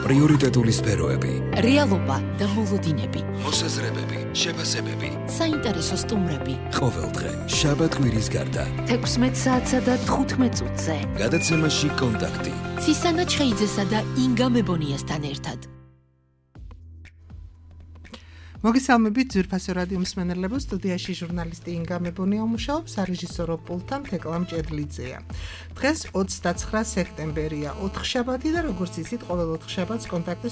პრიორიტეტული სფეროები, რეალობა და მოლოდინები, მოსაზრებები, შეფასებები, საინტერესო სტუმრები. ყოველდღე შაბათ-კვირის გარდა 16 საათსა და 15 წუთზე. გადაცემაში კონტაქტი. ცისანა ჩხეიძესა და ინგა მებონიასთან ერთად. მოგესალმებით ძვირფასო რადიო მსმენელებო, სტუდიაში ჟურნალისტი ინგა მებონია მუშაობს, სარეჟისორო პულტთან თეკლამ ჭედლიძეა. დღეს 29 სექტემბერია, 4 შაბათი და როგორც იცით, ყოველ 4 შაბათს კონტაქტი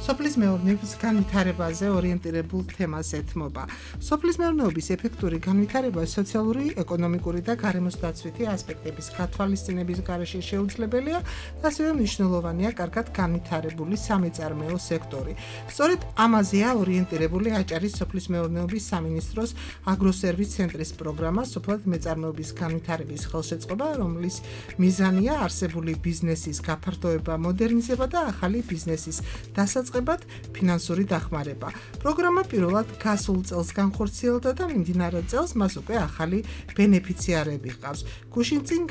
სოფლის მეურნეობის განვითარებაზე ორიენტირებულ თემას ეთმობა. სოფლის მეურნეობის ეფექტური განვითარება სოციალური, ეკონომიკური და გარემოსდაცვითი ასპექტების გათვალისწინების გარეშე შეუძლებელია და ასევე მნიშვნელოვანია კარგად განვითარებული სამეწარმეო სექტორი. სწორედ ამაზეა ორიენტირებული აჭარის სოფლის მეურნეობის სამინისტროს აგროსერვის ცენტრის პროგრამა სოფლად მეწარმეობის განვითარების ხელშეწყობა, რომლის მიზანია არსებული ბიზნესის გაფართოება, მოდერნიზება და ახალი ბიზნესის დასაწყებად ფინანსური დახმარება. პროგრამა პირველად გასულ წელს განხორციელდა და მიმდინარე წელს მას უკვე ახალი ბენეფიციარები ჰყავს. გუშინ წინ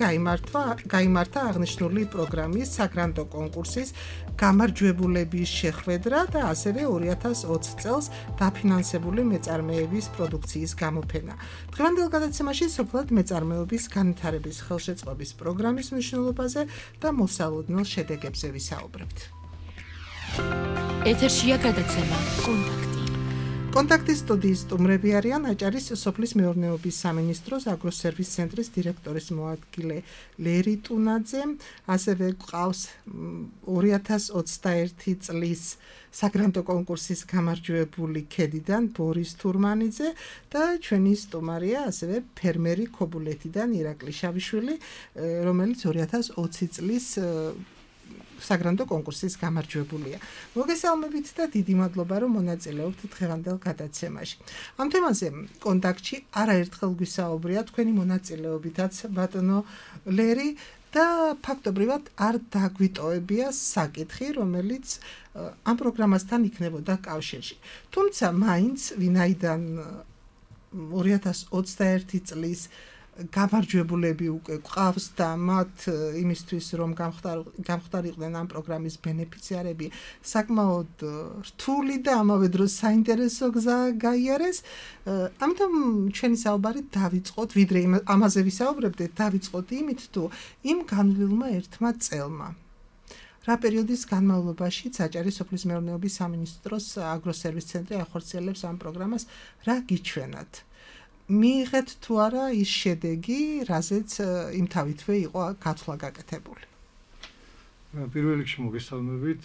გაიმართა აღნიშნული პროგრამის საგრანტო კონკურსის გამარჯვებულების შეხვედრა და ასევე 2020 წელს დაფინანსებული მეწარმეების პროდუქციის გამოფენა. დღევანდელ გადაცემაში სოფლად მეწარმეობის განვითარების ხელშეწყობის პროგრამის მნიშვნელობაზე და მოსალოდნელ შედეგებზე ვისაუბრებთ. ეთერშია გადაცემა კონტაქტი. კონტაქტის სტუდიის სტუმრები არიან აჭარის სოფლის მეურნეობის სამინისტროს აგროსერვის ცენტრის დირექტორის მოადგილე ლერი ტუნაძე, ასევე ყავს 2021 წლის საგრანტო კონკურსის გამარჯვებული ქედიდან ბორის თურმანიძე და ჩვენი სტუმარია ასევე ფერმერი ქობულეთიდან ირაკლი შავიშვილი, რომელიც 2020 წლის საგრანტო კონკურსის გამარჯვებულია. მოგესალმებით და დიდი მადლობა, რომ მონაწილეობთ დღევანდელ გადაცემაში. ამ თემაზე კონტაქტში არაერთხელ გვისაუბრია თქვენი მონაწილეობითაც ბატონო ლერი და ფაქტობრივად არ დაგვიტოვებია საკითხი, რომელიც ამ პროგრამასთან იქნებოდა კავშირში. თუმცა მაინც ვინაიდან 2021 წლის გამარჯვებულები უკვე გვყავს და მათ იმისთვის რომ გამختარიყვნენ ამ პროგრამის ბენეფიციარები საკმაოდ რთული და ამავე დროს საინტერესო გზა გაიარეს. ამიტომ ჩვენი საუბარი დავიწყოთ, ვიდრე ამაზე ვისაუბრებდეთ, დავიწყოთ იმით, თუ იმ განვლილმა ერთმა წელმა რა პერიოდის განმავლობაში აჭარის სოფლის მეურნეობის სამინისტროს აგროსერვის ცენტრი ახორციელებს ამ პროგრამას, რა გიჩვენათ? მიიღეთ თუ არა ის შედეგი, რაზეც იმთავითვე იყო გათვლა გაკეთებული. პირველ რიგში მოგესალმებით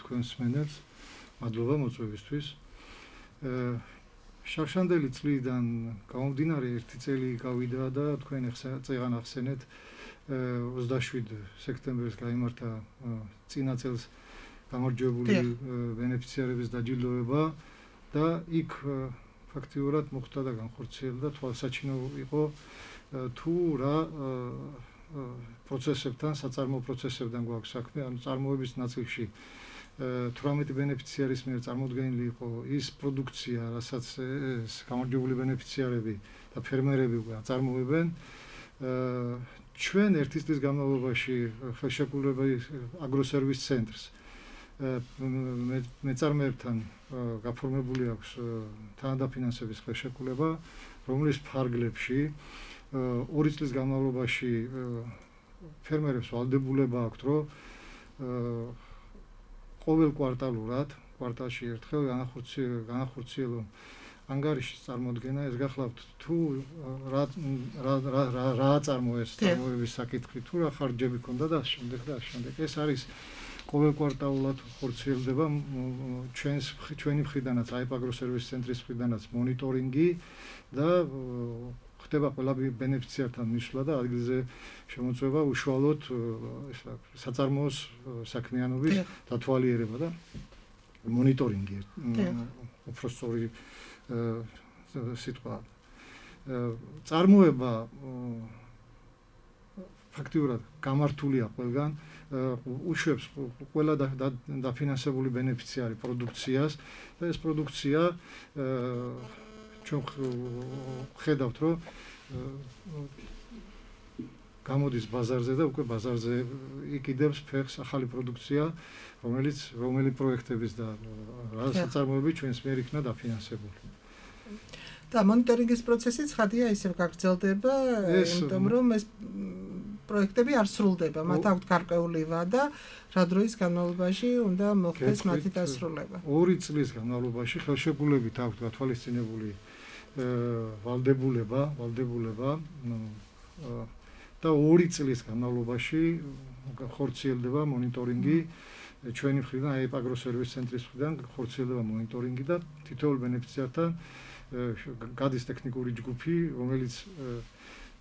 თქვენს მსმენელს, მადლობა მოწვევისთვის. შარშანდელი წლიდან გამომდინარე ერთი წელი გავიდა და თქვენ წეგან ახსენეთ 27 სექტემბერს გაიმართა წინა წელს გამარჯვებული ბენეფიციარების დაჯილდოება და იქ ფაქტიურად მოხდა და განხორციელდა, თვალსაჩინო იყო თუ რა პროცესებთან, საწარმოო პროცესებთან გვაქვს საქმე, ანუ წარმოების ნაწილში 18 ბენეფიციარის მიერ წარმოდგენილი იყო ის პროდუქცია, რასაც გამარჯვებული ბენეფიციარები და ფერმერები უკვე აწარმოებენ. ჩვენ ერთი წლის განმავლობაში ხელშეკრულებული აგროსერვის ცენტრს მეწარმეებთან გაფორმებული აქვს თანადაფინანსების ხელშეკრულება, რომლის ფარგლებში 2 წლის განმავლობაში ფერმერებს ვალდებულება აქვთ, რომ ყოველ კვარტალში ერთხელ განახორციელონ ანგარიშის წარმოდგენა. ეს გახლავთ თუ რა აწარმოეს წარმოების საკითხი, თუ რა ხარჯები ქონდა და შემდეგ. ეს არის ყოველ კვარტალურად ხორციელდება ჩვენი მხრიდანაც, აგროსერვის ცენტრის მხრიდანაც მონიტორინგი და ხდება ყველა ბენეფიციართან მისვლა და ადგილზე შემოწმება უშუალოდ საწარმოოს საქმიანობის დათვალიერება და მონიტორინგი უფრო სწორი სიტყვა. წარმოება ფაქტიურად გამართულია ყველგან, უშვებს ყველა დაფინანსებული ბენეფიციარი პროდუქციას და ეს პროდუქცია ჩვენ ხედავთ, რომ გამოდის ბაზარზე და უკვე ბაზარზე იკიდებს ფეხს ახალი პროდუქცია, რომელი პროექტების და რა საწარმოები ჩვენს მიერ იქნა დაფინანსებული. და მონიტორინგის პროცესი ცხადია ისევ გაგრძელდება, იმიტომ რომ ეს პროექტები არ სრულდება, მათ აქვთ გარკვეული ვადა, რა დროის განმავლობაში უნდა მოხდეს მათი დასრულება. 2 წლის განმავლობაში ხელშეკრულებით აქვთ გათვალისწინებული ვალდებულება და 2 წლის განმავლობაში ხორციელდება მონიტორინგი ჩვენი მხრიდან, AEP Agro-Service ცენტრის მხრიდან ხორციელდება მონიტორინგი და თითოეულ ბენეფიციართან გადის ტექნიკური ჯგუფი, რომელიც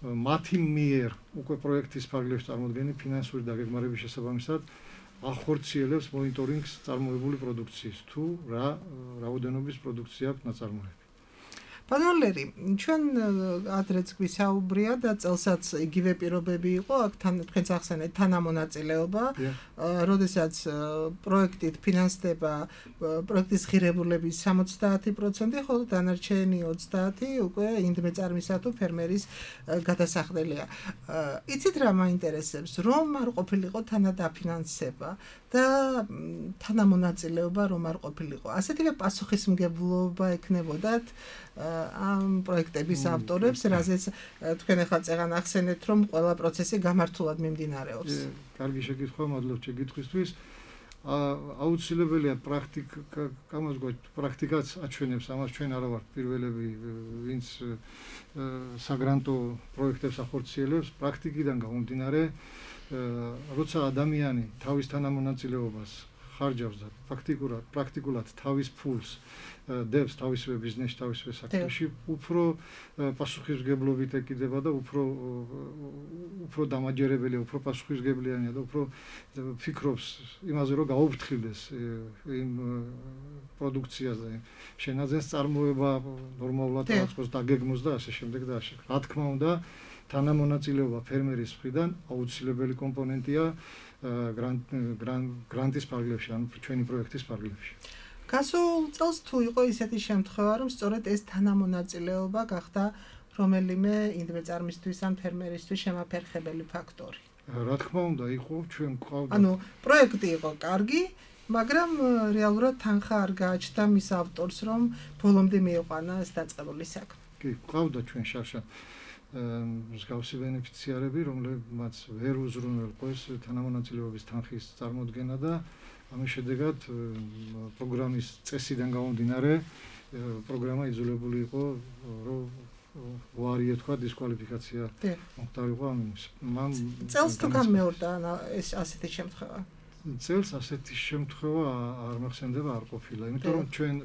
მათი მიერ უკვე პროექტის ფარგლებში წარმოდგენილი ფინანსური დაგეგმარების შესაბამისად ახორციელებს მონიტორინგს წარმოებული პროდუქციის თუ რა რაოდენობის პროდუქცია აქვს ნაწარმოები. პანოლერი, ჩვენ ადრეც გვისაუბრია და წელსაც იგივე პირობები იყო, აქ თქვენც ახსენეთ თანამონაწილეობა, როდესაც პროექტით ფინანსდება პროექტის ღირებულების 70%, ხოლო დანარჩენი 30% უკვე ინდმეწარმისა თუ ფერმერის გადასახდელია. იცით რა მაინტერესებს, რომ არ ყოფილიყო თანადაფინანსება და თანამონაწილეობა რომ არ ყოფილიყო. ასეთივე პასუხისმგებლობა ექნებოდათ ამ პროექტების ავტორებს, რაზეც თქვენ ახლა წეგან ახსენეთ, რომ ყველა პროცესი გამართულად მიმდინარეობს. კარგი შეკითხვა, მადლობ შეკითხვისთვის. აუცილებელია პრაქტიკაც აჩვენებს ამას, ჩვენ არა ვართ პირველები, ვინც საგრანტო პროექტებს ახორციელებს, პრაქტიკიდან გამომდინარე, როცა ადამიანი თავის თანამონაწილეობას ხარჯავს და პრაქტიკულად თავის ფულს დევს თავისივე ბიზნესში, თავისივე საქმეში, უფრო პასუხისმგებლობით ეკიდება და უფრო დამაჯერებელია, უფრო პასუხისმგებლიანია და უფრო ფიქრობს იმაზე, რომ გაუფრთხილდეს იმ პროდუქციას და შენაძენს წარმოება ნორმალურად რაღაცას დაგეგმოს და ასე შემდეგ და ასე. რა თქმა უნდა, თანამონაწილეობა ფერმერის მხრიდან აუცილებელი კომპონენტია გრანტის ფარგლებში, ანუ ჩვენი პროექტის ფარგლებში. გასულ წელს თუ იყო ისეთი შემთხვევა, რომ სწორედ ეს თანამონაწილეობა გახდა რომელიმე ინდმეწარმისთვის ან ფერმერისთვის შემაფერხებელი ფაქტორი. რა თქმა უნდა, იყო ჩვენ გვყავდა. ანუ პროექტი იყო კარგი, მაგრამ რეალურად თანხა არ გააჩნდა მის ავტორს, რომ ბოლომდე მიიყვანა ეს დაწყებული საქმე. კი, გვყავდა ჩვენ შარშან მსგავსი ბენეფიციარები, რომლებმაც ვერ უზრუნველყვეს თანამონაწილეობის თანხის წარმოდგენა და ამის შედეგად პროგრამის წესიდან გამომდინარე პროგრამა იძულებული იყო, რომ უარი ეთქვა დისკვალიფიკაცია მოხდარიყო ამის. წელს თუ გამეორდა ეს ასეთი შემთხვევა? წელს ასეთი შემთხვევა არ მახსენდება, არ ყოფილა, იმიტომ რომ ჩვენ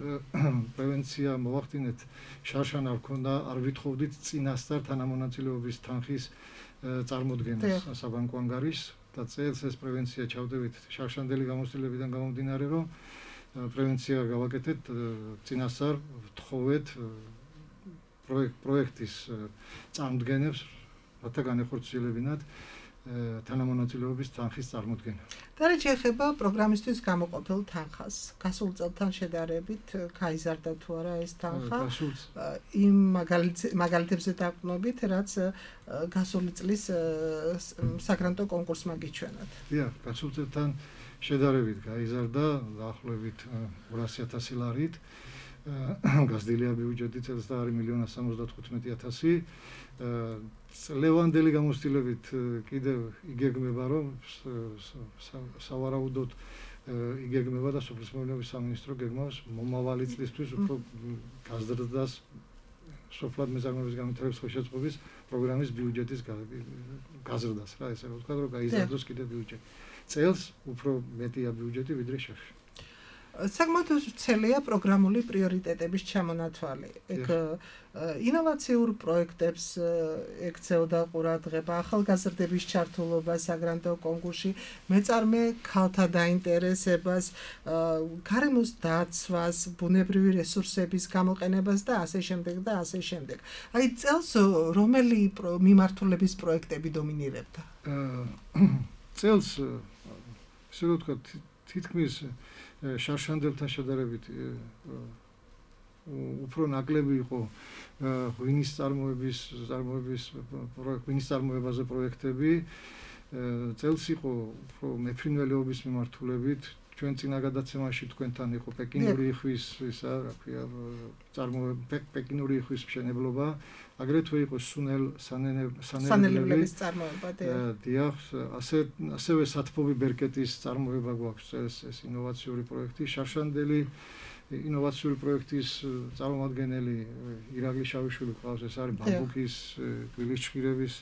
პრევენცია მოვახდინეთ, შარშან არ ქონდა, არ ვითხოვდით წინასწარ თანამონაწილეობის თანხის წარმოდგენას საბანკო ანგარიშს და წელს ეს პრევენცია ჩავდებით შარშანდელი გამოცდილებიდან გამომდინარე, რომ პრევენცია გავაკეთეთ წინასწარ ვთხოვეთ პროექტის წარმოდგენებს, რათა განეხორციელებინათ თანამონაწილეობის თანხის წარმოდგენა. და რა შეეხება პროგრამისთვის გამოყოფილ თანხას, გასულ წელთან შედარებით გაიზარდა თუ არა ეს თანხა? იმ მაგალითებზე დაყრდნობით, რაც გასული წლის საგრანტო კონკურსმა გიჩვენათ. დიახ, გასულ წელთან შედარებით გაიზარდა დაახლოებით 200,000 ლარით. გაზრდილია ბიუჯეტი წელს და არის 1,75,000. ლევანდელი გამოცდილებით კიდევ იგეგმება, რომ სავარაუდოდ იგეგმება და სოფლის მეურნეობის სამინისტრო გეგმავს მომავალი წლისთვის უფრო გაზრდას სოფლად მეწარმოების განვითარების ხელშეწყობის პროგრამის ბიუჯეტის გაზრდას, რა ესე ვთქვა, რომ გაიზარდოს კიდევ ბიუჯეტი. წელს უფრო მეტია ბიუჯეტი ვიდრე შარში. საკმაოდ ვრცელია პროგრამული პრიორიტეტების ჩამონათვალი. ეგ ინოვაციურ პროექტებს ექცეოდა ყურადღება, ახალგაზრდების ჩართულობა საგრანტო კონკურსში, მეწარმე ქალთა დაინტერესებას, გარემოს დაცვას, ბუნებრივი რესურსების გამოყენებას და ასე შემდეგ და ასე შემდეგ. აი წელს რომელი მიმართულების პროექტები დომინირებდა? წელს ესე რომ ვთქვათ, თითქმის შარშანდებთან შედარებით უფრო ნაკლები იყო ღვინის წარმოებაზე პროექტები. წელს იყო უფრო მეფრინველეობის მიმართულებით. ჩვენ წინა გადაცემაში თქვენთან იყო პეკინური იხვის ისა, რა ქვია, პეკინური იხვის მშენებლობა, აგრეთვე იყო სანელებლების წარმოება. დიახ, ასევე სათბობი ბერკეტის წარმოება გვაქვს ეს ინოვაციური პროექტი, შარშანდელი ინოვაციური პროექტის წარმომადგენელი ირაკლი შავიშვილი ყავს, ეს არის ბამბუკის გვილის ჭირების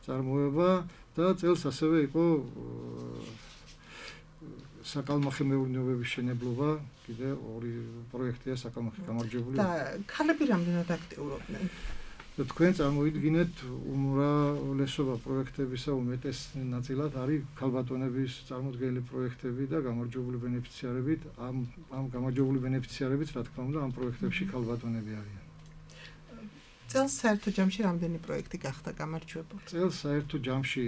წარმოება და წელს ასევე იყო საკალმახე მეურნეობების შენებლობა, კიდე ორი პროექტია საკალმახე გამარჯვებული. და ქალები რამდენად აქტიურობდნენ? თქვენ წარმოიდგინეთ უმრავლესობა პროექტებისა უმეტეს ნაწილად არის ქალბატონების წარმოდგენილი პროექტები და გამარჯვებული ბენეფიციარებით. ამ გამარჯვებული ბენეფიციარებით, რა თქმა უნდა, ამ პროექტებში ქალბატონები არიან. წელს საერთო ჯამში რამდენი პროექტი გახდა გამარჯვებული? წელს საერთო ჯამში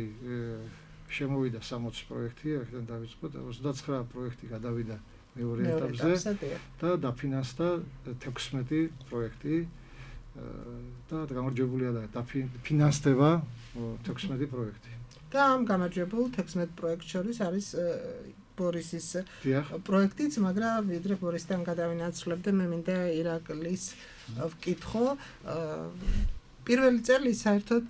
შემოვიდა 60 პროექტი, აქედან დავიწყოთ 29 პროექტი გადავიდა მეორე ეტაპზე და დაფინანსდა 16 პროექტი და გამარჯვებულია და დაფინანსდება 16 პროექტი. და ამ გამარჯვებულ 16 პროექტ შორის არის ბორისის პროექტიც, მაგრამ ვიდრე ბორისთან გადავინაცვლებდე, მე მინდა ირაკლის ვკითხო. პირველი წელი საერთოდ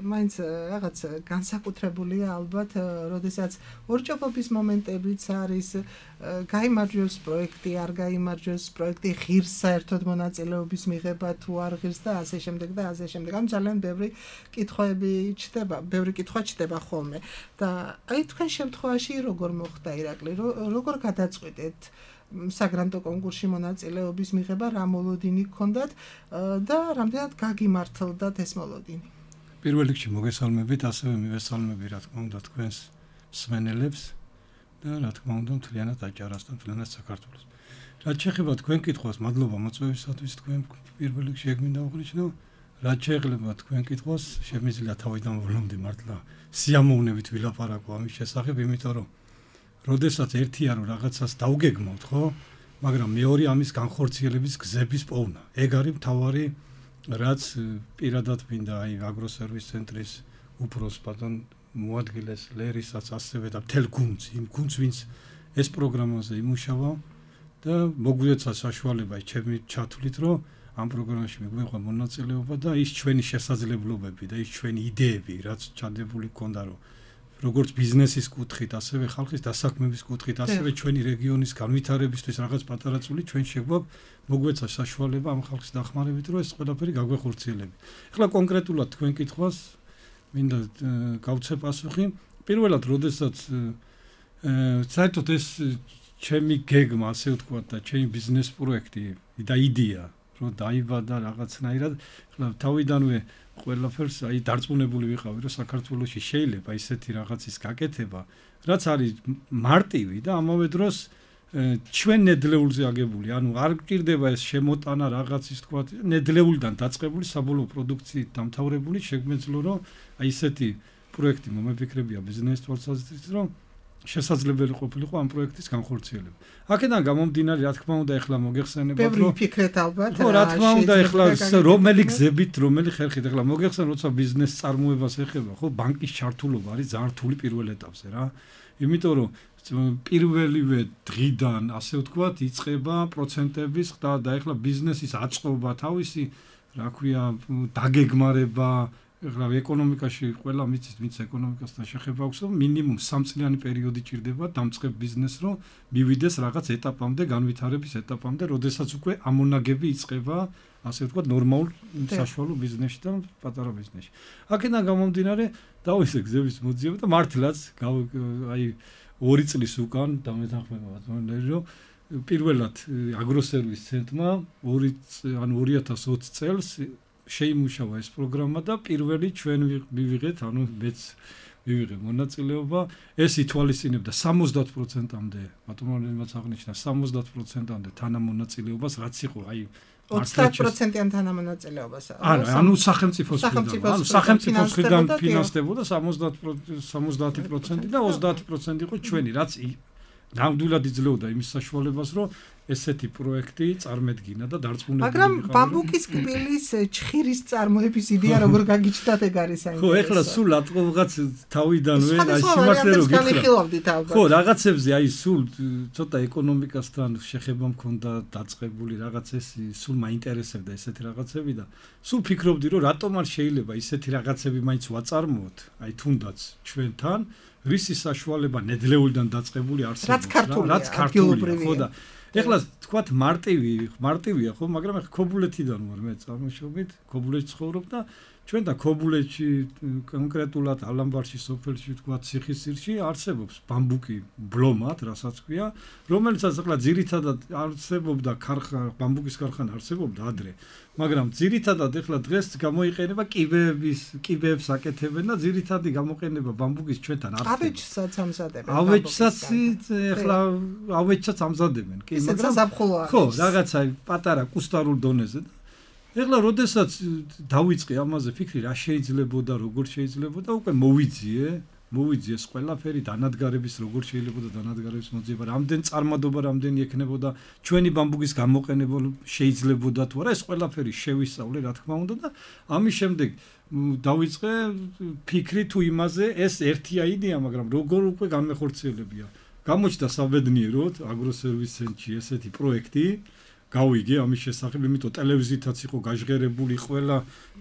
მაინც რაღაც განსაკუთრებულია ალბათ, როდესაც ორჭოფობის მომენტებიც არის, გაიმარჯვებს პროექტი, არ გაიმარჯვებს პროექტი, ღირს საერთოდ მონაწილეობის მიღება თუ არ ღირს და ასე შემდეგ და ასე შემდეგ. ამ ძალიან ბევრი კითხვა ჩდება ხოლმე. და აი თქვენ შემთხვევაში როგორ მოხდა ირაკლი, როგორ გადაწყვიტეთ საგრანტო კონკურსში მონაწილეობის მიღება, რა მოლოდინი გქონდათ და რამდენად გაგიმართლდათ ეს მოლოდინი? პირველ რიგში მოგესალმებით, ასევე მივესალმები რა თქმა უნდა თქვენს მსმენელებს და რა თქმა უნდა მთლიანად აჭარას და მთლიანად საქართველოს. რაც შეეხება თქვენ კითხვას, მადლობა მოწვევისათვის, თქვენ პირველ რიგში ეგ მინდა ვუღნიშნო, რაც შეეხება თქვენ კითხვას, შემიძლია თავიდან ვლომდი მართლა სიამოვნებით ვილაპარაკო ამის შესახებ, იმიტომ რომ როდესაც ერთია რომ რაღაცას დავგეგმავთ, ხო? მაგრამ მეორე ამის განხორციელების გზების პოვნა. ეგ არის მთავარი, რაც პირადად მინდა აი აგროსერვის ცენტრის უფროს ბატონ მოადგილეს ლერისაც ასევე და მთელ გუნდს, იმ გუნდს, ვინც ეს პროგრამაზე იმუშავა და მოგვიეცა საშუალება ჩემი ჩათვლით, რომ ამ პროგრამაში მიგვეღო მონაწილეობა და ის ჩვენი შესაძლებლობები და ის ჩვენი იდეები, რაც ჩადებული გქონდა, რომ როგორც ბიზნესის კუთხით, ასევე ხალხის დასაქმების კუთხით, ასევე ჩვენი რეგიონის განვითარებისთვის რაღაც პატარა წული ჩვენ შეგვაქვს მოგვეცა საშუალება ამ ხალხის დახმარებით, რომ ეს ყველაფერი გაგვეხორციელები. ეხლა კონკრეტულად თქვენ კითხვას მინდა გავცე პასუხი. პირველად, როდესაც საერთოდ ეს ჩემი გეგმა, ასე ვთქვათ, და ჩემი ბიზნეს პროექტი და იდეა, რომ დაიბადა რაღაცნაირად, ეხლა თავიდანვე ყველაფერს აი დარწმუნებული ვიყავი, რომ საქართველოში შეიძლება ისეთი რაღაცის გაკეთება, რაც არის მარტივი და ამავე დროს ჩვენ ნედლეულზე აგებული, ანუ არ გჭირდება ეს შემოტანა რაღაცის თქვა, ნედლეულიდან დაწყებული საბოლოო პროდუქციით დამთავრებული, შეგვეძლო რომ აი ისეთი პროექტი მომეფიქრებია ბიზნეს თვალსაზრისით, რომ შესაძლებელი ყოფილიყო ამ პროექტის განხორციელება. აქედან გამომდინარე, რა თქმა უნდა, ეხლა მოგეხსენებათ, რომ ბევრი ფიქრეთ ალბათ. ხო, რა თქმა უნდა, ეხლა რომელი გზებით, რომელი ხერხით, ეხლა მოგეხსენ, როცა ბიზნეს წარმოებას ეხება, ხო, ბანკის ჩართულობა არის ძალიან რთული პირველ ეტაპზე რა. იმიტომ რომ პირველივე დღიდან, ასე ვთქვათ, იწყება პროცენტების ხდა და ეხლა ბიზნესის აწყობა, თავისი, რა ქვია, დაგეგმარება, ეხლა ეკონომიკაში ყველა მიცის, ვინც ეკონომიკასთან შეხება აქვს, რომ მინიმუმ 3 წლიანი პერიოდი ჭირდება დამწყებ ბიზნესს, რომ მივიდეს რაღაც ეტაპამდე, განვითარების ეტაპამდე, როდესაც უკვე ამონაგები იწყება, ასე ვთქვათ, ნორმალურ საშუალო ბიზნესში და პატარა ბიზნესში. აქედან გამომდინარე, დავისე გზების მოძიება და მართლაც აი 2 წლის უკან დამეთანხმება ბატონო, რომ პირველად აგროსერვის ცენტრმა 2020 წელს შეიმუშავა ეს პროგრამა და პირველი ჩვენ მივიღეთ, ანუ მეც მივიღე მონაწილეობა, ეს ითვალისწინებდა 70%-ამდე, ბატონოებმაც აღნიშნა 70%-ამდე თანამონაწილეობას, რაც იყო აი 30%-იან თანამონაწილეობას. ანუ სახელმწიფოს მხრიდან ფინანსდებოდა 70% და 30% იყო ჩვენი, რაც ნამდვილად იძლეოდა იმის საშუალებას, რომ ესეთი პროექტი წარმედგინა და დარწმუნებული მაგრამ ბამბუკის კბილის ჩხირის წარმოების იდეა როგორ გაგიჩნდათ ეგ არის საინტერესო. ხო, ეხლა სულ რაღაც თავიდანვე აი სიმართლე რო გითხრათ. ხო, რაღაცებზე აი სულ ცოტა ეკონომიკასთან შეხება მქონდა დაწყებული რაღაცას, სულ მაინტერესებდა ესეთი რაღაცები და სულ ფიქრობდი რომ რატომ არ შეიძლება ისეთი რაღაცები მაინც ვაწარმოოთ, აი თუნდაც ჩვენთან, რისი საშუალება ნედლეულიდან დაწყებული არსებობს რა, რაც ქართულია, ხო და ეხლა თქვათ მარტივია ხო, მაგრამ ეხლა ქობულეთიდან ვარ მე წარმოშობით, ქობულეთში ცხოვრობ და ჩვენ და ქობულეთში კონკრეტულად ალამბარში სოფელში თქვათ ციხისძირში არსებობს ბამბუკი ბლომად, რასაც ქვია, რომელსაც ეხლა ძირითადად არსებობდა ბამბუკის ქარხანა არსებობდა ადრე, მაგრამ ძირითადად ეხლა დღეს გამოიყენება კიბეებს აკეთებენ და ძირითადი გამოყენება ბამბუკის ჩვენთან არსებობს. ავეჯსაც ამზადებენ. ავეჯსაც ამზადებენ, კი, მაგრამ ხო, რაღაცა პატარა კუსტარულ დონეზე და ეხლა როდესაც დავიწყე ამაზე ფიქრი რა შეიძლებოდა, როგორ შეიძლებოდა, უკვე მოვიძიე ყველაფერი დანადგარების როგორ შეიძლებოდა დანადგარების მოძიება, რამდენ წარმადობა რამდენი ექნებოდა, ჩვენი ბამბუკის გამოყენება შეიძლებოდა თუ არა, ეს ყველაფერი შევისწავლე რა თქმა უნდა და ამის შემდეგ დავიწყე ფიქრი თუ იმაზე, ეს ერთია იდეა, მაგრამ როგორ უკვე განმეხორციელებია. გამოჩნდა საბედნიეროდ აგროსერვის ცენტრში ესეთი პროექტი გავიგე ამის შესახებ, იმიტომ ტელევიზიითაც იყო გაჟღერებული ყველა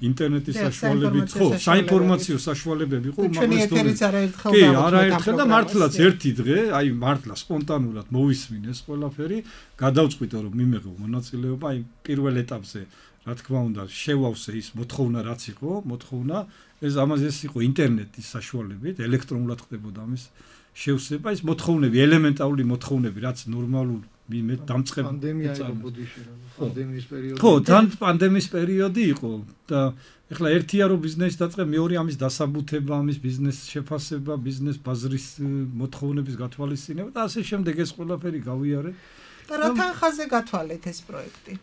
ინტერნეტის საშუალებებით, ხო, საინფორმაციო საშუალებები იყო უმაღლეს დონეზე. კი, არაერთხელ და მართლაც ერთი დღე, აი მართლა სპონტანურად მოვისმინეს ყველაფერი, გადავწყვიტე რომ მიმეღო მონაწილეობა, აი პირველ ეტაპზე, რა თქმა უნდა, შევავსე ის მოთხოვნა რაც იყო, ეს ამაზე იყო ინტერნეტის საშუალებით, ელექტრონულად ხდებოდა ამის შევსება, ის მოთხოვნები, ელემენტარული მოთხოვნები, რაც ნორმალურ მე დამწყებ პანდემიის პერიოდი. ხო, თან პანდემიის პერიოდი იყო და ეხლა ერთია რომ ბიზნესი დაწყე, მეორე ამის დასაბუთება, ამის ბიზნეს შეფასება, ბიზნეს ბაზრის მოთხოვნების გათვალისწინება და ასე შემდეგ ეს ყველაფერი გავიარე. და რა თანხაზე გათვალეთ ეს პროექტი?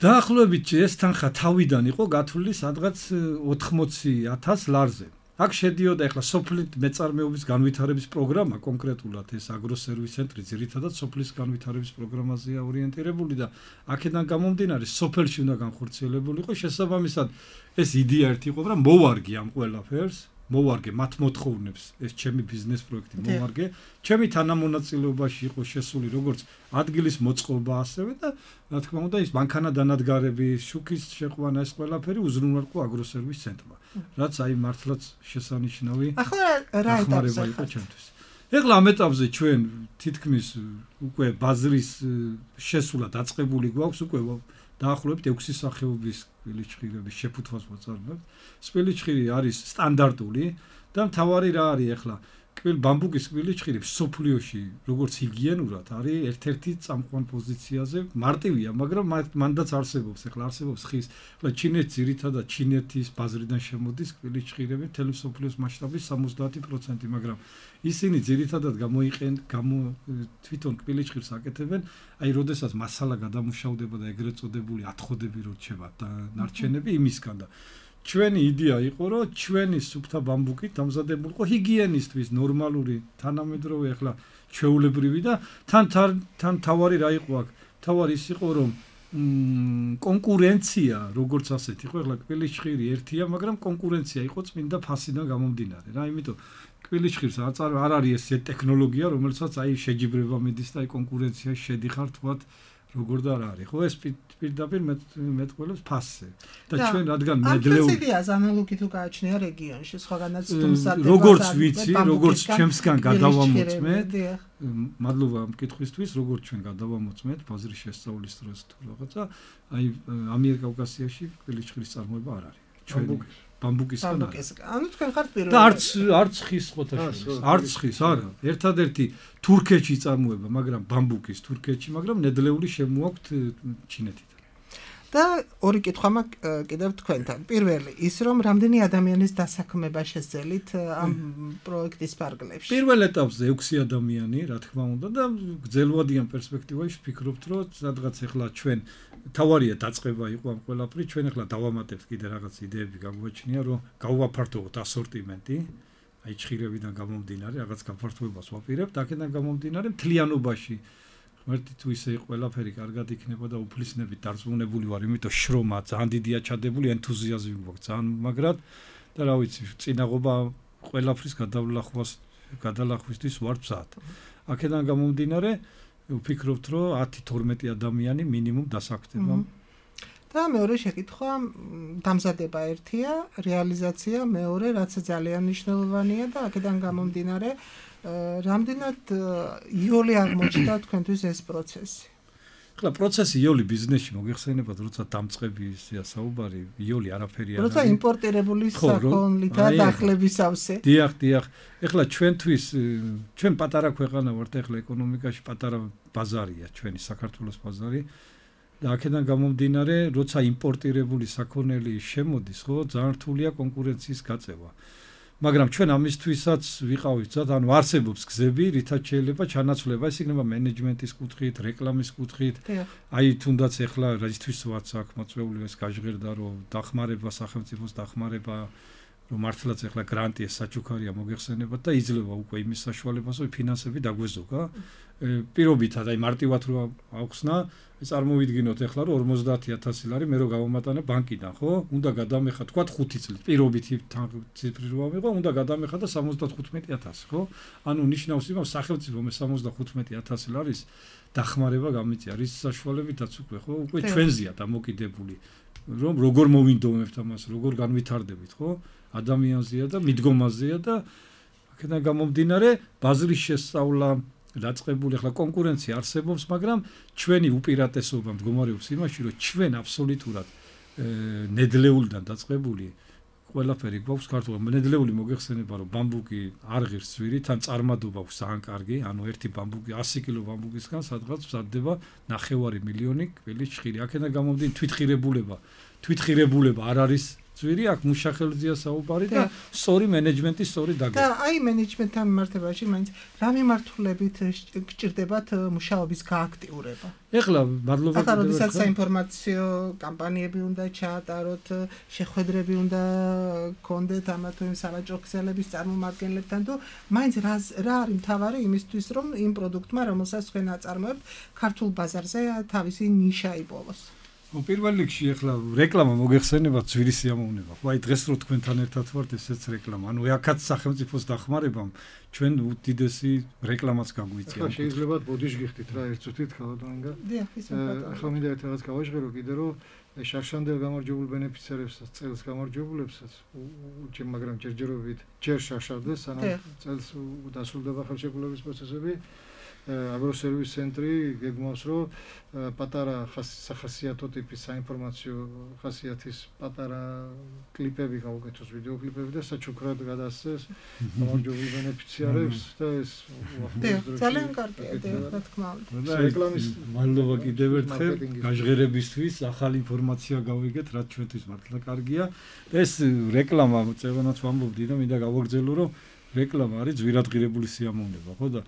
დაახლოებით ეს თანხა თავიდან იყო გათვლილი სადღაც 80,000 ლარზე. აქ შედიოდა ეხლა სოფლის მეწარმეობის განვითარების პროგრამა, კონკრეტულად ეს აგროსერვის ცენტრი ძირითადად სოფლის განვითარების პროგრამაზეა ორიენტირებული და აქედან გამომდინარე სოფელში უნდა განხორციელებული იყო. შესაბამისად ეს იდეა ერთი იყო, რომ მოვარგე ამ ყველაფერს, მოვარგე მათ მოთხოვნებს, ეს ჩემი ბიზნეს პროექტი მოვარგე, ჩემი თანამონაწილეობაში იყო შესული როგორც ადგილის მოწყობა ასევე და რა თქმა უნდა ის მანქანა დანადგარები, შუქის შეყვანა ეს ყველაფერი უზრუნველყო აგროსერვის ცენტრმა. რაც აი მართლაც შესანიშნავი რა ეტაპზე იყო ჩემთვის. ეხლა ამ ეტაპზე ჩვენ თითქმის უკვე ბაზრის შესულა დაწყებული გვაქვს, უკვე დაახლოებით 6 სახეობის კბილიჩხირების შეფუთვას ვაწარმოებთ. კბილიჩხირი არის სტანდარტული და მთავარი რა არის ეხლა ბამბუკის კბილიჩხირი სოფლიოში როგორც ჰიგიენურად არის ერთ-ერთი წამყვან პოზიციაზე, მარტივია, მაგრამ მანდაც არსებობს, ეხლა არსებობს ხის, ეხლა ჩინეთს ძირითადად ჩინეთის ბაზრიდან შემოდის კბილიჩხირები მთელი სოფლიოს მასშტაბის 70%, მაგრამ ისინი ძირითადად თვითონ კბილიჩხირს აკეთებენ, აი როდესაც მასალა გადამუშავდება და ეგრეთ წოდებული ათხოვდები როჩება და ნარჩენები იმისგან და ჩვენი იდეა იყო, რომ ჩვენი სუფთა ბამბუკით დამზადებულიყო ჰიგიენისტვის ნორმალური, თანამედროვე ახლა ჩვეულებრივი და თან თავარი რა იყო აქ? თავარი ის იყო, რომ კონკურენცია, როგორც ასეთი იყო, ახლა კბილიჩხირი ერთია, მაგრამ კონკურენცია იყო წმინდა ფასიდან გამომდინარე რა, იმიტომ კბილიჩხირს არ არის ეს ტექნოლოგია, რომელსაც აი შეჯიბრება მიდის და აი კონკურენციაში შედიხარ თქვათ როგორ და რა არის, ხო ეს პირდაპირ მეტყველებს ფასზე და ჩვენ რადგან ნედლეული იდეას ანალოგი თუ გააჩნია რეგიონში სხვაგანაც თუმსატება როგორც ვიცი, როგორც ჩემსგან გადავამოწმეთ, მადლობა ამ კითხვისთვის, როგორც ჩვენ გადავამოწმეთ ბაზრის შესწავლის დროს თუ რაღაცა, აი ამიერკავკასიაში კბილიჩხირის წარმოება არ არის. ჩვენი ბამბუკისგან არის. ანუ თქვენ ხართ პირველი. და არც ხის ხოთაშორის. არც ხის, არა. ერთადერთი თურქეთში წარმოება, მაგრამ ბამბუკის თურქეთში, მაგრამ ნედლეული შემოაქვთ ჩინეთიდან. და ორი კითხვა მაქვს კიდევ თქვენთან. პირველი, ის რომ რამდენი ადამიანის დასაქმება შეძელით ამ პროექტის ფარგლებში? პირველ ეტაპზე 6 ადამიანი, რა თქმა უნდა, და გრძელვადიან პერსპექტივაში ვფიქრობთ, რომ სადღაც ახლა ჩვენ თავარია დაწყება იყო ამ ყველაფერი, ჩვენ ახლა დავამატებთ კიდე რაღაც იდეები გაგვაჩნია, რომ გავაფართოვოთ ასორტიმენტი, აი ჩხირებიდან გამომდინარე, რაღაც გაფართოებას ვაპირებთ, აქედან გამომდინარე მთლიანობაში ღმერთი თუ ისე ყველაფერი კარგად იქნება და უფლისნებით დარწმუნებული ვარ, იმიტომ შრომა ძალიან დიდია ჩადებული, ენთუზიაზმი გვაქვს ძალიან მაგრად და რა ვიცი, წინაღობა ყველაფრის გადალახვისთვის ვარ მზად. აქედან გამომდინარე, ვფიქრობთ, რომ 10-12 ადამიანი მინიმუმ დასაქმდება. და მეორე შეკითხვა, დამზადება ერთია, რეალიზაცია მეორე, რაც ძალიან მნიშვნელოვანია და აქედან გამომდინარე, რამდენად იოლი აღმოჩნდა თქვენთვის ეს პროცესი? ხლა პროცესი იოლი ბიზნესში მოგეხსენებათ, როცა დამწყებია საუბარი, იოლი არაფერი არ არის. როცა იმპორტირებული საქონლით და დახლების სავსე. დიახ. ეხლა ჩვენთვის ჩვენ პატარა ქვეყანა ვართ, ეხლა ეკონომიკაში პატარა ბაზარია ჩვენი საქართველოს ბაზარი. და აქედან გამომდინარე, როცა იმპორტირებული საქონელი შემოდის, ხო, ძალიან რთულია კონკურენციის გაწევა. მაგრამ ჩვენ ამისთვისაც ვიყავით ზად, ანუ არსებობს გზები, რითაც შეიძლება ჩანაცვლება, ეს იქნება მენეჯმენტის კუთხით, რეკლამის კუთხით. აი თუნდაც ეხლა რისთვისაც აქ მოწვეული ეს გაჟღერდა, რომ დახმარება სახელმწიფოს დახმარება, რომ მართლაც ეხლა გრანტი ეს საჩუქარია მოგეხსენებათ და იძლევა უკვე იმის საშუალებას, რომ ფინანსები დაგვეზოგა. პირობითად, აი მარტივად რო აუხსნა, წარმოვიდგინოთ ეხლა რომ 50,000 ლარი მე რო გავამატანე ბანკიდან, ხო? უნდა გადამეხა თქვა 5 წლით. პირობითი ციფრი რო ამიღო, უნდა გადამეხა და 75,000, ხო? ანუ ნიშნავს იმას, სახელმწიფო მე 75,000 ლარის დახმარება გამიწია, რის საშუალებითაც უკვე, ხო? უკვე ჩვენზეა დამოკიდებული, რომ როგორ მოვინდომებთ ამას, როგორ განვითარდებით, ხო? ადამიანზეა და მიდგომაზეა და აქედან გამომდინარე, ბაზრის შესწავლა დაწყებული, ახლა კონკურენცია არსებობს, მაგრამ ჩვენი უპირატესობა მდგომარეობს იმაში, რომ ჩვენ აბსოლუტურად ნედლეულიდან დაწყებული ყველაფერი გვაქვს ქართულად. ნედლეული მოგეხსენება, რომ ბამბუკი არ ღირს ძვირით, ან წარმადობა აქვს ძალიან კარგი, ანუ ერთი ბამბუკი 100 კილო ბამბუკისგან სადღაც მზადდება 9 მილიონი კვილი ჭხირი. აქედან გამომდინარე თვითღირებულება არ არის ძვირი, აქ მუშახელზეა საუბარი და სწორი მენეჯმენტის სწორი დაგეგმა. და აი მენეჯმენტთან მიმართებაში მაინც რა მიმართულებით გჭირდებათ მუშაობის გააქტიურება? ეხლა მადლობა ახლა როდესაც საინფორმაციო კამპანიები უნდა ჩაატაროთ, შეხვედრები უნდა გქონდეთ ამა თუ იმ სავაჭრო ქსელების წარმომადგენლებთან თუ მაინც რა არის მთავარი იმისთვის, რომ იმ პროდუქტმა, რომელსაც თქვენ აწარმოებთ, ქართულ ბაზარზე თავისი ნიშა იპოვოს? პირველ რიგში ეხლა რეკლამა მოგეხსენებათ ძვირი სიამოვნება. ხო, აი დღეს რო თქვენთან ერთად ვართ, ესეც რეკლამა. ანუ აქაც სახელმწიფოს დახმარებამ ჩვენ უდიდესი რეკლამაც გაგვიწია. ახლა შეიძლება ბოდიშ გიხდით რა ერთ წუთით ხალხონგა. დიახ, ისე ბატონო. ახლა მინდა ერთ რაღაც გავაჟღერო კიდე რომ შარშანდელ გამარჯვებულ ბენეფიციარებსაც, წელს გამარჯვებულებსაც, მაგრამ ჯერჯერობით ჯერ შარშავდეს, სანამ წელს დასრულდება ხელშეკრულების პროცესები. აგროსერვის ცენტრი გეგმავს, რომ პატარა სახასიათო ტიპის საინფორმაციო ხასიათის პატარა კლიპები გავუკეთოს, ვიდეო კლიპები და საჩუქრად გადასცეს გამარჯვებულ ბენეფიციარებს და ეს ძალიან კარგია, რა თქმა უნდა. რეკლამის მადლობა კიდევ ერთხელ გაჟღერებისთვის, ახალი ინფორმაცია გავიგეთ, რაც ჩვენთვის მართლა კარგია. ეს რეკლამა წევანაც ვამბობდი და მინდა გავაგრძელო, რომ რეკლამა არის ძვირადღირებული სიამოვნება, ხო და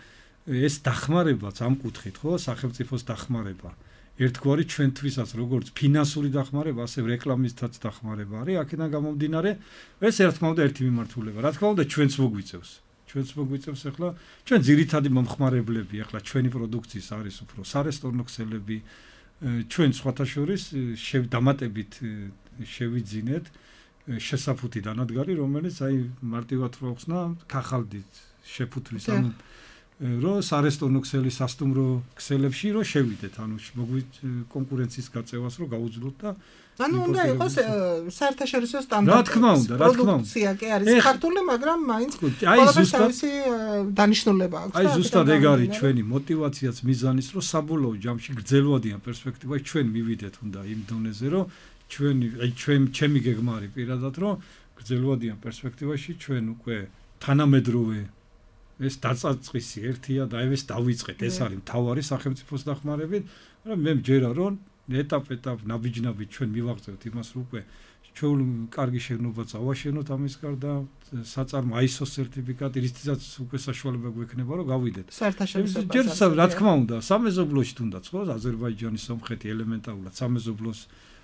ეს დახმარებაც ამ კუთხით, ხო, სახელმწიფოს დახმარება. ერთგვარი ჩვენთვისაც როგორც ფინანსური დახმარება, ასე რეკლამისთაც დახმარება არის. აქედან გამომდინარე, ეს ერთმანეთს ერთი მიმართულება. რა თქმა უნდა, ჩვენც მოგვიწევს. ახლა ჩვენ ძირითადი მომხმარებლები, ახლა ჩვენი პროდუქციის არის უფრო სარესტორნო ქსელები, ჩვენ სხვათა შორის დამატებით შევიძინეთ შესაფუთი დანადგარი, რომელიც აი მარტივად რო ხსნა, ქახალდით შეფუთვის, ანუ რომ სარესტორნო ქსელის სასტუმრო ქსელებში რომ შევიდეთ, ანუ კონკურენციის გაწევას რომ გაუძლოთ და ანუ უნდა იყოს საერთაშორისო სტანდარტი. რა თქმა უნდა. პროდუქცია კი არის ქართული, მაგრამ მაინც თავისი დანიშნულება აქვს. აი ზუსტად ეგ არის ჩვენი мотиваციაც მიზანის, რომ საბოლოო ჯამში გრძელვადიან პერსპექტივაში ჩვენ მივიდეთ უნდა იმ დონეზე, რომ ჩემი გეგმა არის პირადად, რომ გრძელვადიან პერსპექტივაში ჩვენ უკვე თანამედროვე ეს დაწაწყისი ერთია და ეს დავიწყეთ, ეს არის მთავარი სახელმწიფოს დახმარებით, მაგრამ მე მჯერა რომ ეტაპ-ეტაპ ნაბიჯ-ნაბიჯ ჩვენ მივაღწევთ იმას, რომ უკვე ჩვენ კარგი შენობა წავაშენოთ ამის გარდა საწარმო ISO სერტიფიკატი, რითიც უკვე საშუალება გვექნება რომ გავიდეთ. საერთაშორისო ბაზარზე. რა თქმა უნდა, სამეზობლოში თუნდაც ხო, აზერბაიჯანის სომხეთი ელემენტარულად სამეზობლოს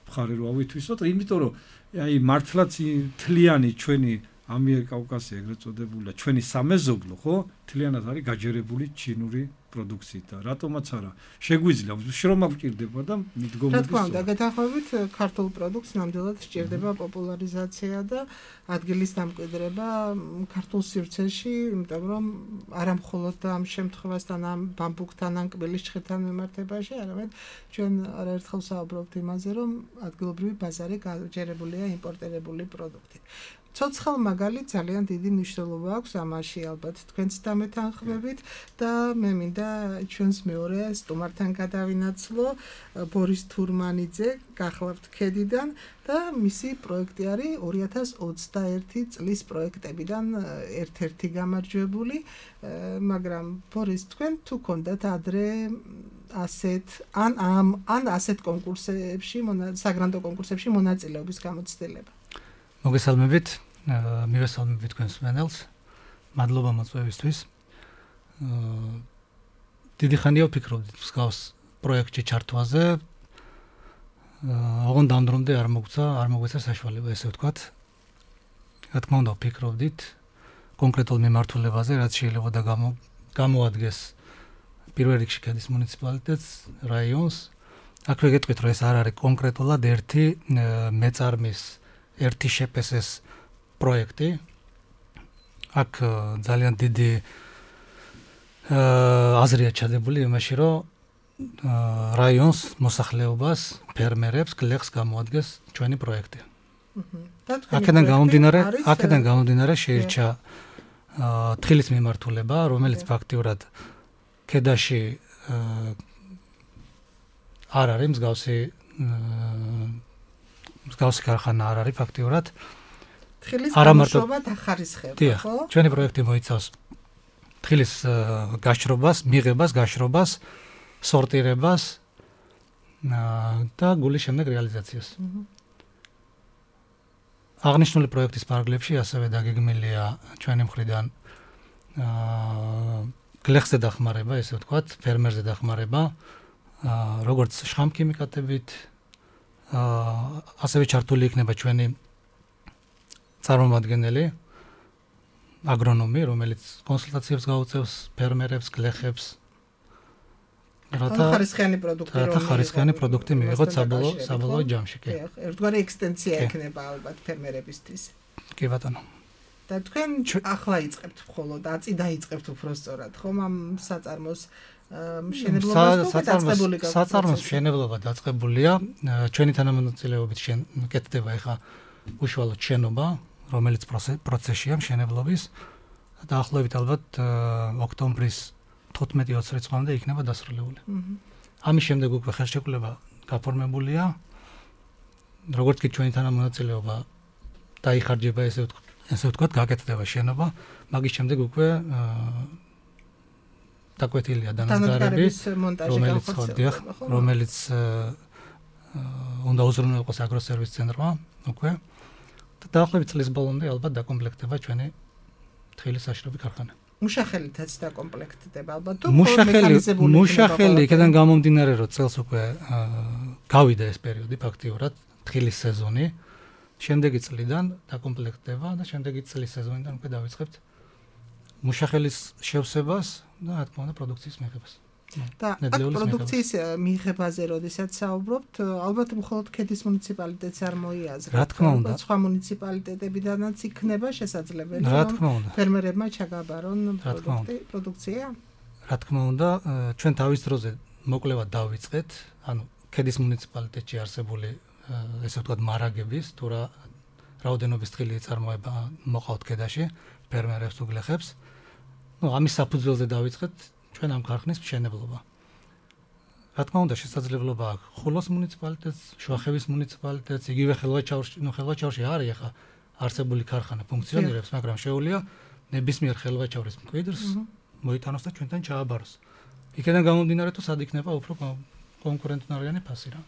მხარე რო ავითვისოთ, იმიტომ რომ აი მართლაც თლიანი ჩვენი ამიერკავკასია ეგრეთ წოდებულია ჩვენი სამეზობლო ხო თლიანად არის გაჯერებული ჩინური პროდუქციით და რატომაც არა შეგვიძლია შრომა გვჭირდება და მიდგომები რა თქმა უნდა გეთანხმებით ქართულ პროდუქტს ნამდვილად სჭირდება პოპულარიზაცია და ადგილის დამკვიდრება ქართულ სივრცეში იმიტომ რომ არა მხოლოდ ამ შემთხვევასთან ამ ბამბუქთან ან კბილის ჭხეთთან მიმართებაში არამედ ჩვენ არაერთხელ საუბრობთ იმაზე რომ ადგილობრივი ბაზარი გაჯერებულია იმპორტირებული პროდუქტით ცოცხალ მაგალითად ძალიან დიდი მნიშვნელობა აქვს ამაში ალბათ თქვენც დამეთანხმებით და მე მინდა ჩვენს მეორე სტუმართან გადავინაცვლო ბორის თურმანიძე გახლავთ ქედიდან და მისი პროექტი არის 2021 წლის პროექტებიდან ერთ-ერთი გამარჯვებული მაგრამ ბორის თქვენ თუ გქონდათ ადრე ასეთ ან ასეთ კონკურსებში საგრანდო კონკურსებში მონაწილეობის გამოცდილება მოგესალმებით, მივესალმებით თქვენს მენელს. მადლობა მოწვევისთვის. დიდი ხანია ვფიქრობდით მსგავს პროექტში ჩართვაზე. ოღონდ ამ დრომდე არ მოგვეცა საშუალება, ესე ვთქვათ. რა თქმა უნდა, ვფიქრობდით კონკრეტულ მიმართულებაზე, რაც შეიძლება და გამოადგეს პირველ რიგში ქედის მუნიციპალიტეტს, რაიონს. აქვე გეტყვით, რომ ეს არ არის კონკრეტულად ერთი მეწარმის ერთი შეპესეს პროექტი. აქ ძალიან დიდი აზრია ჩადებული იმაში, რომ რაიონს, მოსახლეობას, ფერმერებს, გლეხს გამოადგეს ჩვენი პროექტი. აქედან გამომდინარე შეირჩა თხილის მიმართულება, რომელიც ფაქტიურად ქედაში არ არის მსგავსი ქარხანა არ არის ფაქტიურად. თხილის გამოშვება დახარისხება, ხო? ჩვენი პროექტი მოიცავს თხილის გაშრობას, მიღებას, გაშრობას, სორტირებას და გულის შემდეგ რეალიზაციას. აღნიშნული პროექტის პარალელში ასევე დაგეგმილია ჩვენი მხრიდან გლეხზე დახმარება, ესე ვთქვათ, ფერმერზე დახმარება, როგორც შხამქიმიკატებით ასევე ჩართული იქნება ჩვენი წარმომადგენელი აგრონომი, რომელიც კონსულტაციებს გაუწევს ფერმერებს, გლეხებს. რათა ხარისხიანი პროდუქტი მივიღოთ საბოლოო ჯამში. ერთგვარი ექსტენსია ექნება ალბათ ფერმერებისთვის. კი ბატონო. და თქვენ ახლა იწყებთ მხოლოდ აწი დაიწყებთ უფრო სწორად, ხომ ამ საწარმოს საწარმოს მშენებლობა დაწყებულია. ჩვენი თანამონაწილეობით კეთდება ახლა უშუალოდ შენობა, რომელიც პროცესია მშენებლობის. დაახლოებით ალბათ ოქტომბრის 15-20 რიცხვამდე იქნება დასრულებული. ამის შემდეგ უკვე ხელშეკრულება გაფორმებულია. როგორც კი ჩვენი თანამონაწილეობა დაიხარჯება, ესე ვთქვათ, გაკეთდება შენობა, magis შემდეგ უკვე დაკვეთილია დანადგარები, რომელიც უნდა უზრუნველყოს აგროსერვის ცენტრმა, უკვე. და დაახლოებით წლის ბოლომდე ალბათ დაკომპლექტდება ჩვენი თხილის საშრობი ქარხანა. მუშახელითაც დაკომპლექტდება ალბათ თუ მუშახელი იქიდან გამომდინარე, რომ წელს უკვე გავიდა ეს პერიოდი ფაქტიურად, თხილის სეზონი. შემდეგი წლიდან დაკომპლექტდება და შემდეგი წლის სეზონიდან უკვე დავიწყებთ მუშახელის შევსებას და რა თქმა უნდა პროდუქციის მიღებას. და აქ პროდუქციის მიღებაზე როდესაც საუბრობთ, ალბათ მხოლოდ ქედის მუნიციპალიტეტს არ მოიაზრებთ. რა თქმა უნდა, სხვა მუნიციპალიტეტებიდანაც იქნება შესაძლებელი, რომ ფერმერებმა ჩაგაბარონ პროდუქცია. რა თქმა უნდა, ჩვენ თავის დროზე მოკლევად დავიწყეთ, ანუ ქედის მუნიციპალიტეტში არსებული ესე ვთქვათ მარაგების თუ რა რაოდენობის თხილი წარმოება მოყავთ ქედაში ფერმერებს თუ გლეხებს. ამის საფუძველზე დავიწყეთ ჩვენ ამ ქარხნის მშენებლობა. რა თქმა უნდა, შესაძლებლობა აქვს ხულოს მუნიციპალიტეტს, შუახევის მუნიციპალიტეტს, იგივე ხელვაჩაურში არის ახლა არსებული ქარხანა ფუნქციონირებს, მაგრამ შეუძლია ნებისმიერ ხელვაჩაურის მკვიდრს მოიტანოს და ჩვენთან ჩააბაროს. იქიდან გამომდინარე თუ სად იქნება უფრო კონკურენტუნარიანი ფასი რა.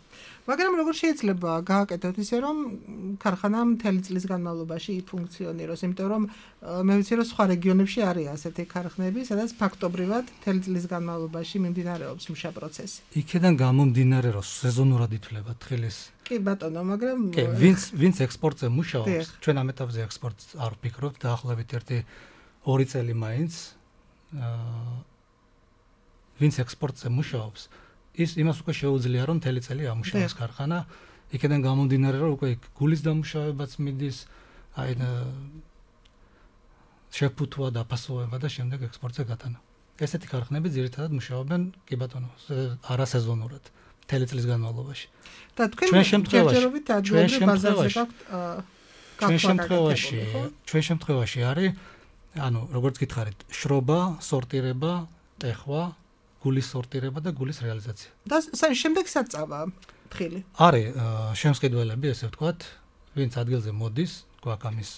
მაგრამ როგორ შეიძლება გააკეთოთ ისე რომ ქარხანა მთელი წლის განმავლობაში ფუნქციონიროს, იმიტომ რომ მე ვიცი რომ სხვა რეგიონებში არის ასეთი ქარხნები, სადაც ფაქტობრივად მთელი წლის განმავლობაში მიმდინარეობს მუშა პროცესი. იქედან გამომდინარე რომ სეზონურად ითვლება თხილის. კი ბატონო, მაგრამ კი, ვინც ექსპორტზე მუშაობს, ჩვენ ამ ეტაპზე ექსპორტს არ ვფიქრობთ, დაახლოებით 1-2 წელი მაინც ვინც ექსპორტზე მუშაობს, ის იმას უკვე შეუძლია რომ მთელი წელი ამუშავოს ქარხანა, იქედან გამომდინარე რომ უკვე გულის დამუშავებაც მიდის, აი შეფუთვა და ფასოვება და შემდეგ ექსპორტზე გატანა. ესეთი ქარხნები ძირითადად მუშაობენ კი ბატონო, არასეზონურად, მთელი წლის განმავლობაში. და თქვენ ჯერჯერობით ადგილობრივ ბაზარზე გაქვთ ჩვენ შემთხვევაში არის ანუ როგორც გითხარით, შრობა, სორტირება, ტეხვა, გულის სორტირება და გულის რეალიზაცია. და შემდეგ საწავა თხილი. არის შემსყიდველები, ესე ვთქვათ, ვინც ადგილზე მოდის, გვაქვს ამის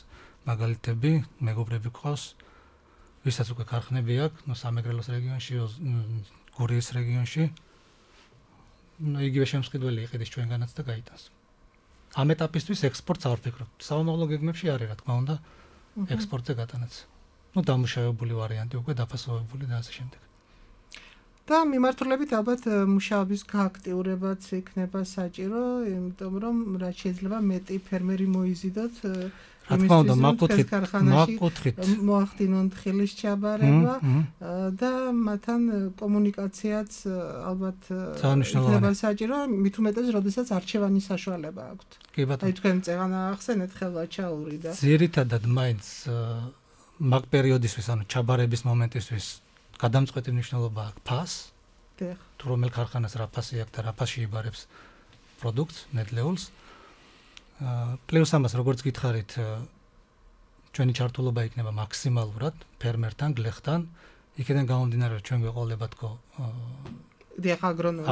მაგალითები, მეგობრები გვყავს, ვისაც უკვე ქარხნები აქვს, სამეგრელოს რეგიონში, გურიის რეგიონში. იგივე შემსყიდველი იყიდეს ჩვენგანაც და გაიტანს. ამ ეტაპისთვის ექსპორტს არ ვფიქრობთ. საომავლო გეგმებში არის, რა თქმა უნდა, ექსპორტზე გატანაც. დამუშავებული ვარიანტი უკვე დაფასოვებული და ასე შემდეგ. და მიმართულებით ალბათ მუშაობის გააქტიურებაც იქნება საჭირო, იმიტომ რომ რაც შეიძლება მეტი ფერმერი მოიზიდოთ რა თქმა უნდა, მაკუთხით მოახდინონ თხილის ჩაბარება და მათთან კომუნიკაციაც ალბათ იქნება საჭირო, მით უმეტეს, როდესაც არჩევანის საშუალება აქვთ. კი ბატონო. აი თქვენ წეღანა ახსენეთ ხელვაჩაური და ძირითადად მაინც მაგ პერიოდისთვის, ანუ ჩაბარების მომენტისთვის გადამწყვეტი მნიშვნელობა აქვს ფასს. თუ რომელ ქარხანას რა ფასი აქვს და რა ფასში იბარებს პროდუქტს, ნედლეულს. პლუს ამას როგორც გითხარით, ჩვენი ჩართულობა იქნება მაქსიმალურად ფერმერთან, გლეხთან. იქიდან გამომდინარე, რომ ჩვენ გვეყოლება თქო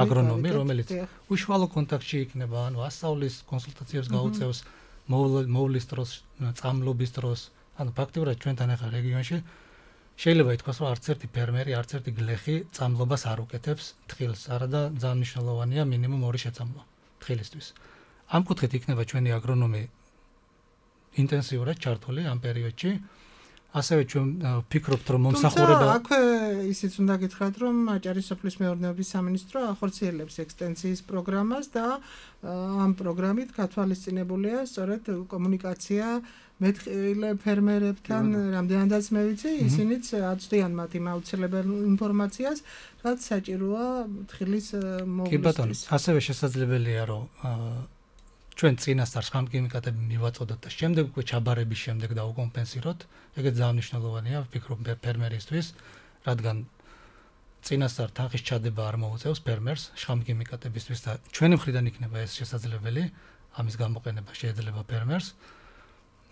აგრონომი, რომელიც უშუალო კონტაქტში იქნება, ანუ ასწავლის, კონსულტაციებს გაუწევს, მოვლის დროს, წამლობის დროს. ანუ ფაქტიურად ჩვენთან ახლა რეგიონში შეიძლება ითქვას, რომ არც ერთი ფერმერი, არც ერთი გლეხი წამლობას არ უკეთებს თხილს, არადა ძალიან მნიშვნელოვანია მინიმუმ 2 შეწამლვა თხილისთვის. ამ კუთხით იქნება ჩვენი აგრონომი ინტენსიურად ჩართული ამ პერიოდში. ასევე ჩვენ ვფიქრობთ, რომ მომსახურება აქვე ისიც უნდა გითხრათ, რომ აჭარის სოფლის მეურნეობის სამინისტრო ახორციელებს ექსტენსიის პროგრამას და ამ პროგრამით გათვალისწინებულია სწორედ კომუნიკაცია მეტყივილე ფერმერებთან, რამდენადაც მე ვიცი, ისინიც აწვდიან მათ იმ აუცილებელ ინფორმაციას, რაც საჭიროა თხილის მოვლისთვის. კი ბატონო, ასევე შესაძლებელია, რომ ჩვენ წინასწარ ხამქიმიკატები მივაწოდოთ და შემდეგ უკვე ჩაბარების შემდეგ დაუკომპენსიროთ. ეგეც ძალიან მნიშვნელოვანია, ვფიქრობ ფერმერისთვის, რადგან წინასწარ თანხის ჩადება არ მოუწევს ფერმერს ხამქიმიკატებისთვის და ჩვენი მხრიდან იქნება ეს შესაძლებელი, ამის გამოყენება შეიძლება ფერმერს.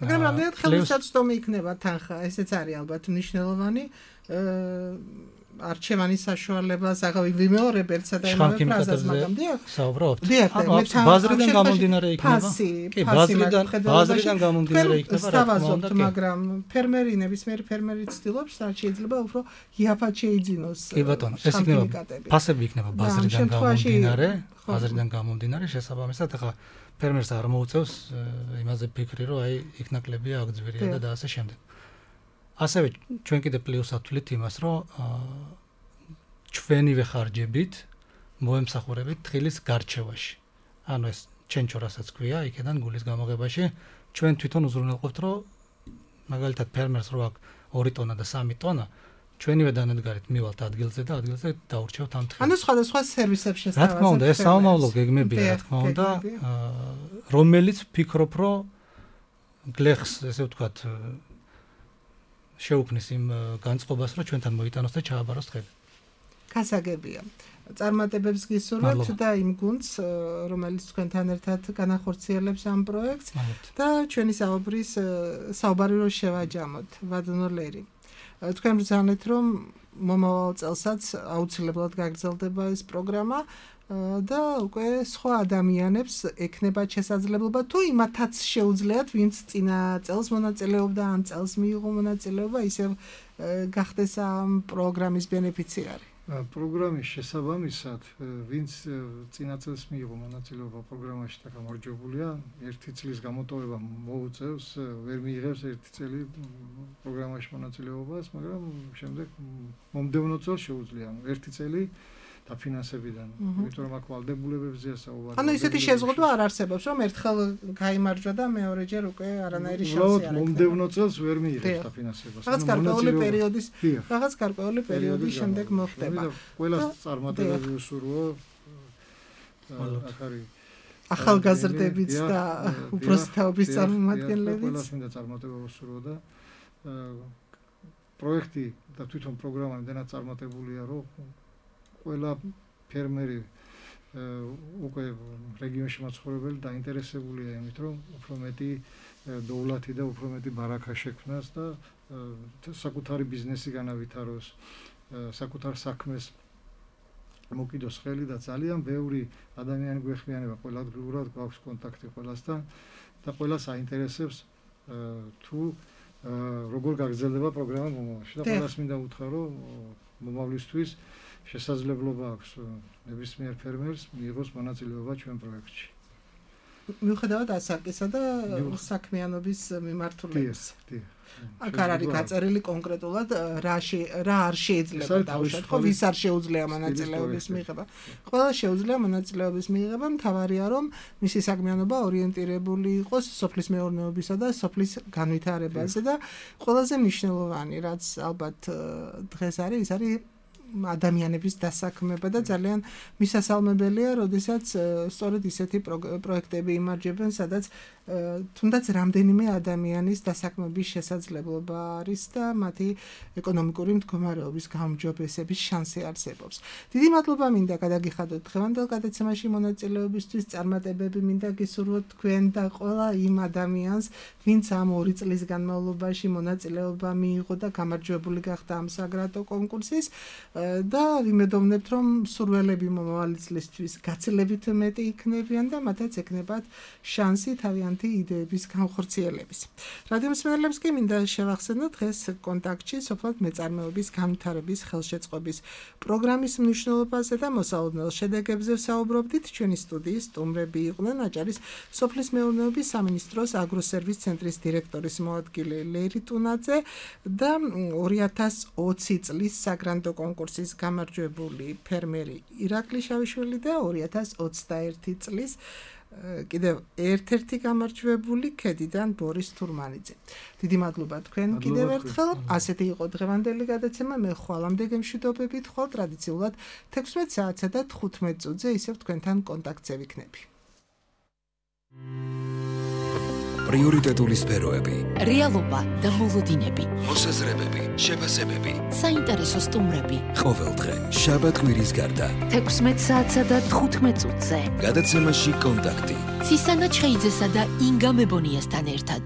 მაგრამ რამდენად ხელმისაწვდომი იქნება თანხა, ესეც არის ალბათ მნიშვნელოვანი. არჩევანის საშუალებას აღავი ვიმეორებელსა და იმავე ფრაზას, მაგრამ დიახ. საუბრობთ. ბაზრიდან გამომდინარე იქნება. კი, ბაზრიდან გამომდინარე იქნება, რა თქმა უნდა, მაგრამ ფერმერი, ნებისმიერი ფერმერი ცდილობს, რაც შეიძლება უფრო იაფად შეიძინოს. კი ბატონო, ეს იქნება ფასები იქნება ბაზრიდან გამომდინარე, ბაზრიდან გამომდინარე, შესაბამისად ახლა ფერმერს არ მოუწევს იმაზე ფიქრი, რომ აი იქ ნაკლებია, აქ ძვირია და ასე შემდეგ. ასევე ჩვენ კიდე პლუსად ვთვლით იმას, რომ ჩვენივე ხარჯებით მოემსახურებით თხილის გარჩევაში. ანუ ეს ჩენჩო რასაც ქვია, იქიდან გულის გამოღებაში ჩვენ თვითონ უზრუნველყოფთ, რომ მაგალითად ფერმერს რო აქვს 2 ტონა და 3 ტონა, ჩვენივე დანადგარით მივალთ ადგილზე და ადგილზე დაურჩევთ ამ თხილს. ანუ სხვადასხვა სერვისებს შესთავაზებთ. რა თქმა უნდა, ეს საომავლო გეგმებია, რა თქმა უნდა, რომელიც ვფიქრობ, რომ გლეხს, ესე ვთქვათ, შეუქმნის იმ განწყობას, რომ ჩვენთან მოიტანოს და ჩააბაროს თხილი. გასაგებია. წარმატებებს გისურვებთ და იმ გუნდს, რომელიც თქვენთან ერთად განახორციელებს ამ პროექტს და ჩვენი საუბარი რო შევაჯამოთ, ვადონოლერი. თქვენ ბრძანეთ, რომ მომავალ წელსაც აუცილებლად გაგრძელდება ეს პროგრამა და უკვე სხვა ადამიანებს ექნება შესაძლებლობა თუ იმათაც შეუძლიათ, ვინც წინა წელს მონაწილეობდა, ან წელს მიიღო მონაწილეობა, ისევ გახდეს ამ პროგრამის ბენეფიციარი. პროგრამის შესაბამისად, ვინც წინა წელს მიიღო მონაწილეობა პროგრამაში და გამარჯვებულია, 1 წლის გამოტოვება მოუწევს, ვერ მიიღებს 1 წელი პროგრამაში მონაწილეობას, მაგრამ შემდეგ მომდევნო წელს შეუძლია 1 წელი დაფინანსებიდან. იმიტომ რომ აქ ვალდებულებებზეა საუბარი. ანუ ისეთი შეზღუდვა არ არსებობს, რომ ერთხელ გაიმარჯვა და მეორეჯერ უკვე არანაირი შანსი არ აქვს. მომდევნო წელს ვერ მიიღებს დაფინანსებას. რაღაც გარკვეული პერიოდის შემდეგ მოხდება. ყველას წარმატებები უსურვო. აქ არის ახალგაზრდებიც და უბრალოდ წარმომადგენლებიც. ყველას მინდა წარმატება უსურვო და პროექტი და თვითონ პროგრამა იმდენად წარმატებულია, რომ ყველა ფერმერი უკვე რეგიონში მაცხოვრებელი დაინტერესებულია იმით, რომ უფრო მეტი დოვლათი და უფრო მეტი ბარაქა შექმნას და საკუთარი ბიზნესი განავითაროს, საკუთარ საქმეს მოკიდოს ხელი და ძალიან ბევრი ადამიანი გვეხმიანება, ყველა ადგილურად გვაქვს კონტაქტი ყველასთან და ყველას აინტერესებს თუ როგორ გაგრძელდება პროგრამა მომავალში და ყველას მინდა უთხრა, რომ მომავლისთვის შესაძლებლობა აქვს ნებისმიერ ფერმერს მიიღოს მონაწილეობა ჩვენ პროექტში. მიუხედავად ასაკისა და საქმიანობის მიმართულების. აქ არ არის გაწერილი კონკრეტულად რა არ შეიძლება დავუშვათ, ხო ვის არ შეუძლია მონაწილეობის მიღება. ყველა შეუძლია მონაწილეობის მიღება, მთავარია რომ მისი საქმიანობა ორიენტირებული იყოს სოფლის მეურნეობისა და სოფლის განვითარებაზე და ყველაზე მნიშვნელოვანი რაც ალბათ დღეს არის, ის არის ადამიანების დასაქმება და ძალიან მისასალმებელია, როდესაც სწორედ ისეთი პროექტები იმარჯვებენ, სადაც თუნდაც რამდენიმე ადამიანის დასაქმების შესაძლებლობა არის და მათი ეკონომიკური მდგომარეობის გაუმჯობესების შანსი არსებობს. დიდი მადლობა მინდა გადაგიხადოთ დღევანდელ გადაცემაში მონაწილეობისთვის, წარმატებები მინდა გისურვოთ თქვენ და ყველა იმ ადამიანს, ვინც ამ 2 წლის განმავლობაში მონაწილეობა მიიღო და გამარჯვებული გახდა ამ საგრადო კონკურსის და ვიმედოვნებთ, რომ სურველები მომავალი წლისთვის გაცილებით მეტი იქნებიან და მათაც ეკნებათ შანსი თავიანთი იდეების განხორციელების. რადიო მსმენელებს კი მინდა შევახსენოთ დღეს კონტაქტში სოფლად მეწარმეობის განვითარების ხელშეწყობის პროგრამის მნიშვნელობაზე და მოსალოდნელ შედეგებზე ვსაუბრობდით. ჩვენი სტუდიის სტუმრები იყვნენ აჭარის სოფლის მეურნეობის სამინისტროს აგროსერვის ცენტრის დირექტორის მოადგილე ლერი ტუნაძე და 2020 წლის საგრანდო კონკურსის გამარჯვებული ფერმერი ირაკლი შავიშვილი და 2021 წლის კიდევ ერთ-ერთი გამარჯვებული ქედიდან ბორის თურმანიძე. დიდი მადლობა თქვენ კიდევ ერთხელ. ასეთი იყო დღევანდელი გადაცემა. მე ხვალამდე გემშვიდობებით ხვალ ტრადიციულად 16 საათსა და 15 წუთზე ისევ თქვენთან კონტაქტზე ვიქნები. პრიორიტეტული სფეროები, რეალობა და მოლოდინები, მოსაზრებები, შეფასებები, საინტერესო სტუმრები. ყოველდღე შაბათ კვირის გარდა 16 საათსა და 15 წუთზე. გადაცემაში კონტაქტი. ცისანა ჩხეიძესა და ინგა მებონიასთან ერთად.